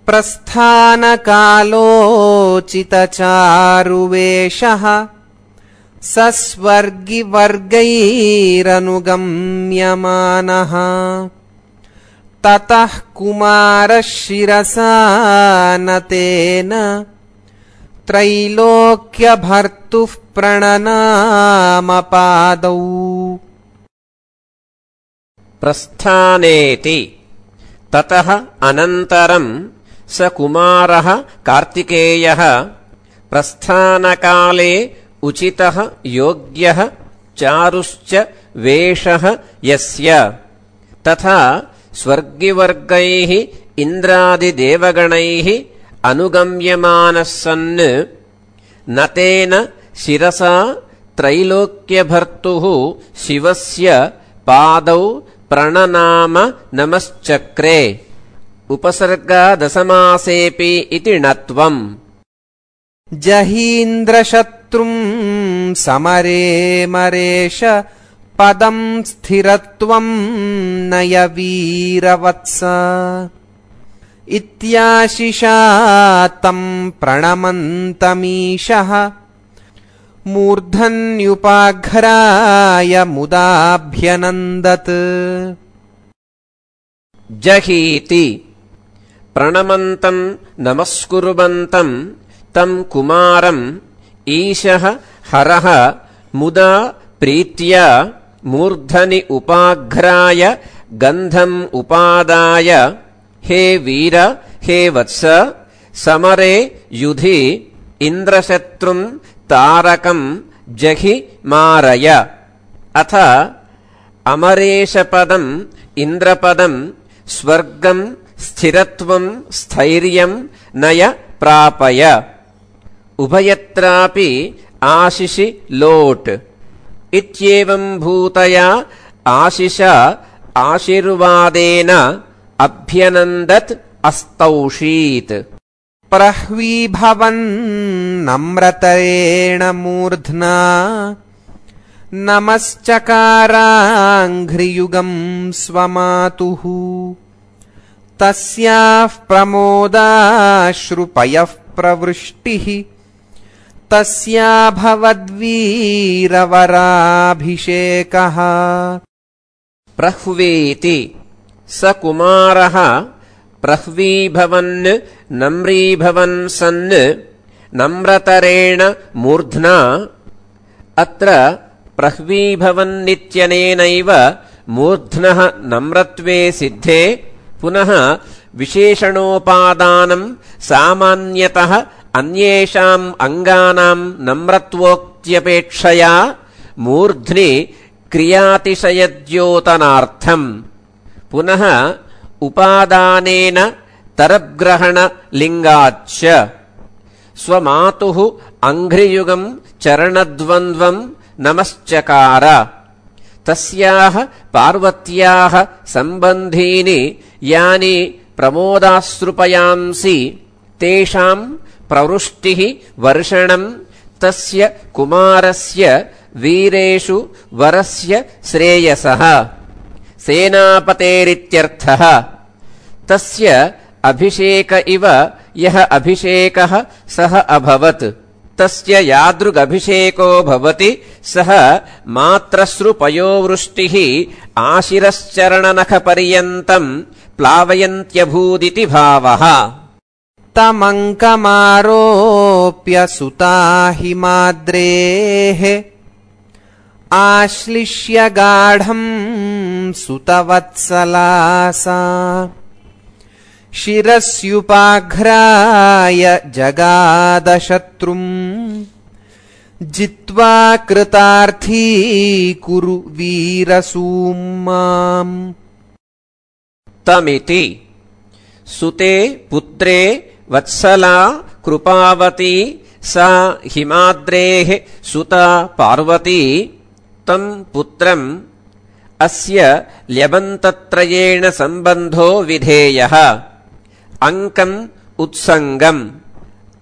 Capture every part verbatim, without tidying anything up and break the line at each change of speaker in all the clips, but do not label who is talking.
प्रस्थानकालोचितचारुवेषः सस्वर्गिवर्गैरनुगम्यमानः ततः कुमारः शिरसा नतेन त्रैलोक्यभर्तुः प्रणनामपादौ।
प्रस्थानेति ततः अनन्तरं स कुमारः कार्तिकेयः प्रस्थानकाले उचितः योग्यः चारुश्च वेषः यस्य तथा स्वर्गिवर्गैः इन्द्रादिदेवगणैः अनुगम्यमानः सन् नतेन शिरसा त्रैलोक्यभर्तुः शिवस्य पादौ प्रणनाम नमश्चक्रे। उपसर्गादसमासेऽपि इति णत्वम्।
जहीन्द्रशत्रुं समरे मरेश पदं स्थिरत्वं नय वीरवत्स इत्याशिषा तं प्रणमन्तमीशः मूर्धन्युपाघ्राय मुदाभ्यनन्दत्।
जहीति प्रणमन्तं नमस्कुर्वन्तं तं कुमारम् ईशः हरः मुदा प्रीत्या मूर्धनि उपाघ्राय गन्धम् उपादाय हे वीर हे वत्स समरे युधि इन्द्रशत्रुं तारकं जहि मारय। अथ अमरेशपदं इन्द्रपदं स्वर्गं स्थिरत्वं स्थैर्यं नय प्रापय। उभयत्रापि आशिषि लोट् इत्येवं भूतया आशिषा आशीर्वादेन अभ्यनन्दत् अस्तौषीत्।
प्रह्वीभवन्नम्रतरेण मूर्ध्ना नमश्चकाराङ्घ्रियुगं स्वमातुः तस्याः प्रमोदाश्रुपयः प्रवृष्टिः तस्याभवद्वीरवराभिषेकः।
प्रह्वीति स कुमारः प्रह्वीभवन् नम्रीभवन् सन् नम्रतरेण मूर्ध्ना। अत्र प्रह्वीभवन्नित्यनेनैव मूर्ध्नः नम्रत्वे सिद्धे पुनः विशेषणोपादानं सामान्यतः अन्येषाम् अङ्गानां नम्रत्वोक्त्यपेक्षया मूर्ध्नि क्रियातिशयद्योतनार्थम् पुनः उपादानेन तरग्रहणलिङ्गाच्च स्वमातुः अङ्घ्रियुगं चरणद्वन्द्वं नमश्चकार। तस्याः पार्वत्याः सम्बन्धीनि यानि प्रमोदाश्रुपयांसि तेषां प्रवृष्टिः वर्षणं तस्य कुमारस्य वीरेषु वरस्य श्रेयसः सेनापतेरित्यर्थः। तस्य अभिषेक इव यः अभिषेकः सः अभवत् तस्य यादृगभिषेको भवति सः मात्रश्रुपयोवृष्टिः आशिरश्चरणनखपर्यन्तं प्लावयन्त्यभूदिति भावः।
तमङ्कमारोप्य सुता हिमाद्रेः आश्लिष्य गाढं सुतवत्सलासा शिरस्युपाघ्राय जगादशत्रुं जित्वा कृतार्थी कुरु वीरसूम्माम्।
तमिति सुते पुत्रे वत्सला कृपावती सा हिमाद्रेः सुता पार्वती तं पुत्रम् अस्य ल्यबन्तत्रयेण सम्बन्धो विधेयः। अङ्कम् उत्सङ्गम्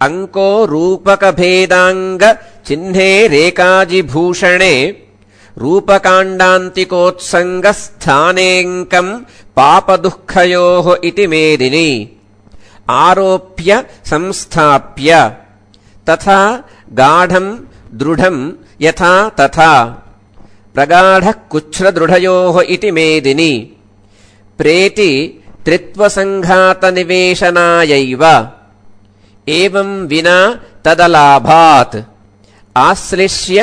अङ्को रूपकभेदाङ्ग चिह्ने रेकाजिभूषणे रूपकाण्डान्तिकोत्सङ्गस्थानेऽङ्कम् पापदुःखयोः इति मेदिनी। आरोप्य संस्थाप्य तथा गाढं दृढं यथा तथा प्रगाढः कुच्छ्रदृढयोः इति मेदिनि प्रेति त्रित्वसङ्घातनिवेशनायैव एवं विना तदलाभात् आश्लिष्य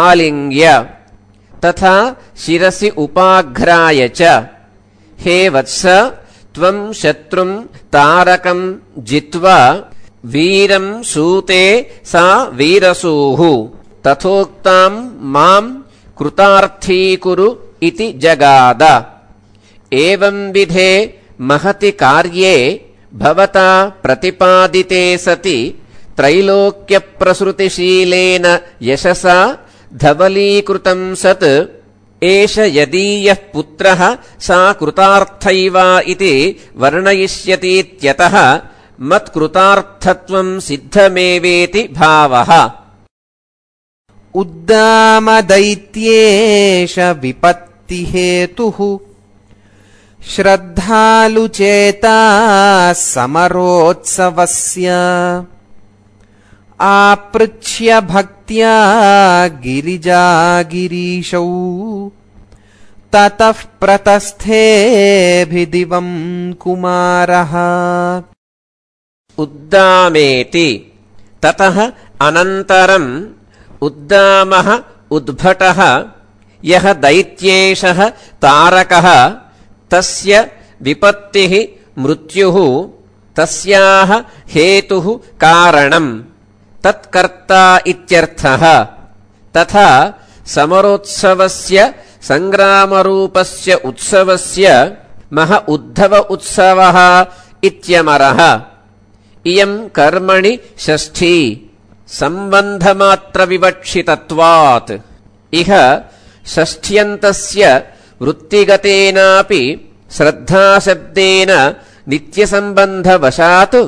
आलिङ्ग्य तथा शिरसि उपाघ्राय च हे वत्स त्वं शत्रुं तारकं जित्वा वीरं सूते सा वीरसूः तथोक्तां मां कृतार्थीकुरु इति जगाद एवं विधे महति कार्ये भवता प्रतिपादिते सति त्रैलोक्यप्रसृतिशीलेन यशसा धवलीकृतं सत् एष यदीयः पुत्रः सा कृतार्थैवा इति वर्णयिष्यतीत्यतः मत्कृतार्थत्वं सिद्धमेवेति भावः।
उद्दामदैत्येष विपत्तिहेतुः श्रद्धालुचेता समरोत्सवस्य आपृच्छ्य भक्त्या गिरिजागिरीशौ ततः प्रतस्थेऽभिदिवं कुमारः।
उद्दामेति ततः अनन्तरम् उद्दामः उद्भटः यः दैत्येशः तारकः तस्य विपत्तिः मृत्युः तस्याः हेतुः कारणम् तत्कर्ता इत्यर्थः। तथा समरोत्सवस्य सङ्ग्रामरूपस्य उत्सवस्य मह उद्धव उत्सवः इत्यमरः। इयम् कर्मणि षष्ठी सम्बन्धमात्रविवक्षितत्वात् इह षष्ठ्यन्तस्य वृत्तिगतेनापि श्रद्धाशब्देन नित्यसम्बन्धवशात्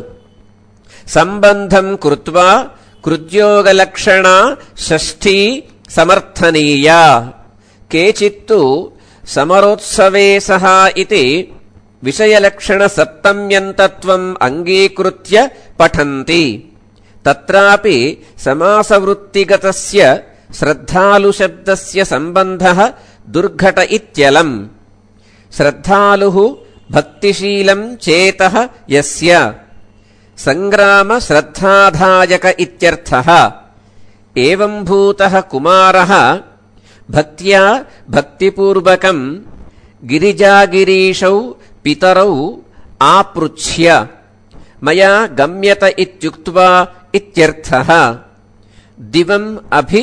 सम्बन्धं कृत्वा कृद्योगलक्षणा षष्ठी समर्थनीया। केचित्तु समरोत्सवे सः इति विषयलक्षणसप्तम्यन्तत्वम् अङ्गीकृत्य पठन्ति। तत्रापि समासवृत्तिगतस्य श्रद्धालुशब्दस्य सम्बन्धः दुर्घट इत्यलम्। श्रद्धालुः भक्तिशीलं चेतः यस्य सङ्ग्रामश्रद्धाधायक इत्यर्थः। एवम्भूतः कुमारः भक्त्या भक्तिपूर्वकम् गिरिजागिरीशौ पितरौ आपृच्छ्य मया गम्यत इत्युक्त्वा इत्यर्थः। दिवम् अभि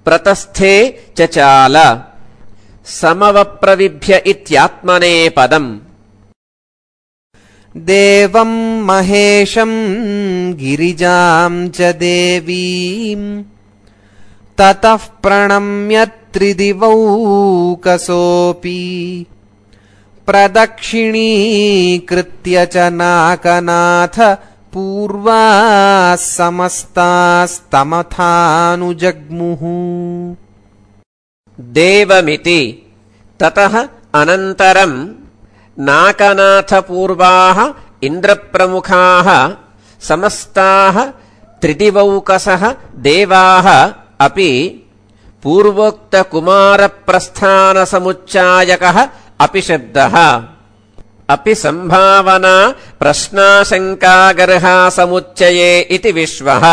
प्रतस्थे चचाल समवप्रविभ्य इत्यात्मने पदम्।
देवं महेशं गिरिजां च देवीं ततः प्रणम्य त्रिदिवौकसोऽपि प्रदक्षिणीकृत्य च नाकनाथ पूर्वाः समस्तास्तमथानुजग्मुः।
देवमिति ततः अनन्तरम् नाकनाथपूर्वाः इन्द्रप्रमुखाः समस्ताः त्रिदिवौकसः देवाः अपि पूर्वोक्तकुमारप्रस्थानसमुच्चायकः अपि शब्दः। अपि सम्भावना प्रश्नाशङ्कागर्हा समुच्चये इति विश्वः।